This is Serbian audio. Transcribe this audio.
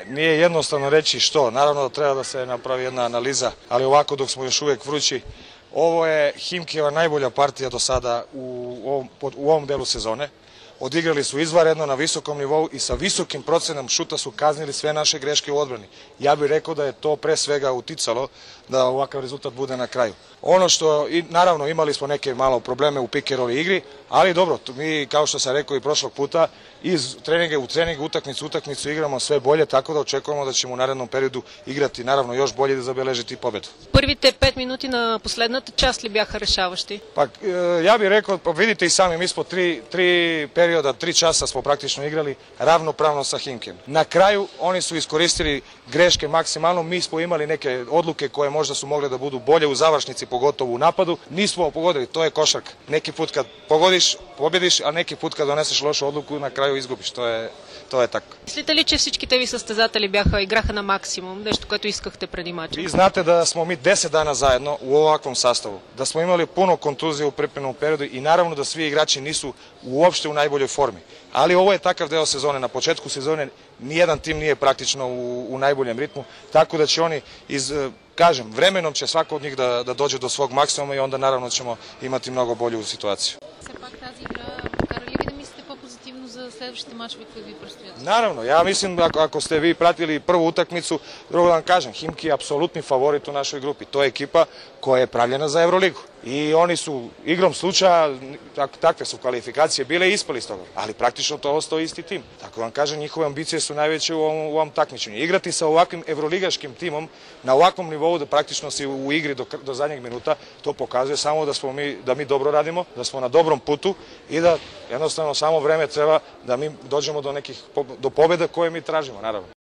Nije jednostavno reći što, naravno da treba da se napravi jedna analiza, ali ovako dok smo još uvijek vrući, ovo je Himkijeva najbolja partija do sada u ovom delu sezone. Odigrali su izvanredno na visokom nivou i sa visokim procenom šuta su kaznili sve naše greške u odbrani. Ja bih rekao da je to pre svega uticalo da ovakav rezultat bude na kraju. Ono što, naravno imali smo neke malo probleme u pick and roll igri, ali dobro, mi kao što sam rekao i prošlog puta, iz treninga u trening, utakmicu igramo sve bolje, tako da očekujemo da ćemo u narednom periodu igrati naravno još bolje da забележити победу. Първите 5 минути на последната част ли бяха решаващи? Pa ja bih rekao, pa vidite i sami, mi smo tri perioda, 3 časa smo praktično igrali ravnopravno sa Himkijem. Na kraju oni su iskoristili greške maksimalno, mi smo imali neke odluke koje možda su mogle da budu bolje u završnici, pogotovo u napadu. Nismo pogodili, to je košarka. Neki put kad pogodiš, pobjediš, a neki put kad doneseš lošu odluku, na kraju изгубиш. То е така. Мислите ли, че всичките ви състезатели играха на максимум, нещо, което искахте преди мача? Vi znate da smo mi 10 dana zajedno u ovakvom sastavu, da smo imali puno kontuzija u pripremnom periodu i naravno da svi igrači nisu uopšte u najboljoj formi. Ali ovo je takav deo sezone, na početku sezone nijedan tim nije praktično u najboljem ritmu, tako da će oni kažem, vremenom će svako od njih da dođe do svog maksimuma i onda naravno ćemo imati mnogo bolju situaciju. За следващите мачове koji vi predstoje? Naravno, ja mislim ako ste vi pratili prvu utakmicu, drugo da vam kažem, Himki je apsolutni favorit u našoj grupi. To je ekipa koja je pravljena za Euroligu. I oni su igrom slučaja, takve su kvalifikacije bile i ispali iz toga. Ali praktično to ostao isti tim. Tako vam kažem, njihove ambicije su najveće u ovom takmičenju. Igrati sa ovakvim evroligaškim timom na ovakvom nivou da praktično si u igri do zadnjeg minuta, to pokazuje samo da mi dobro radimo, da smo na dobrom putu i da jednostavno samo vreme treba da mi dođemo do pobjeda koje mi tražimo, naravno.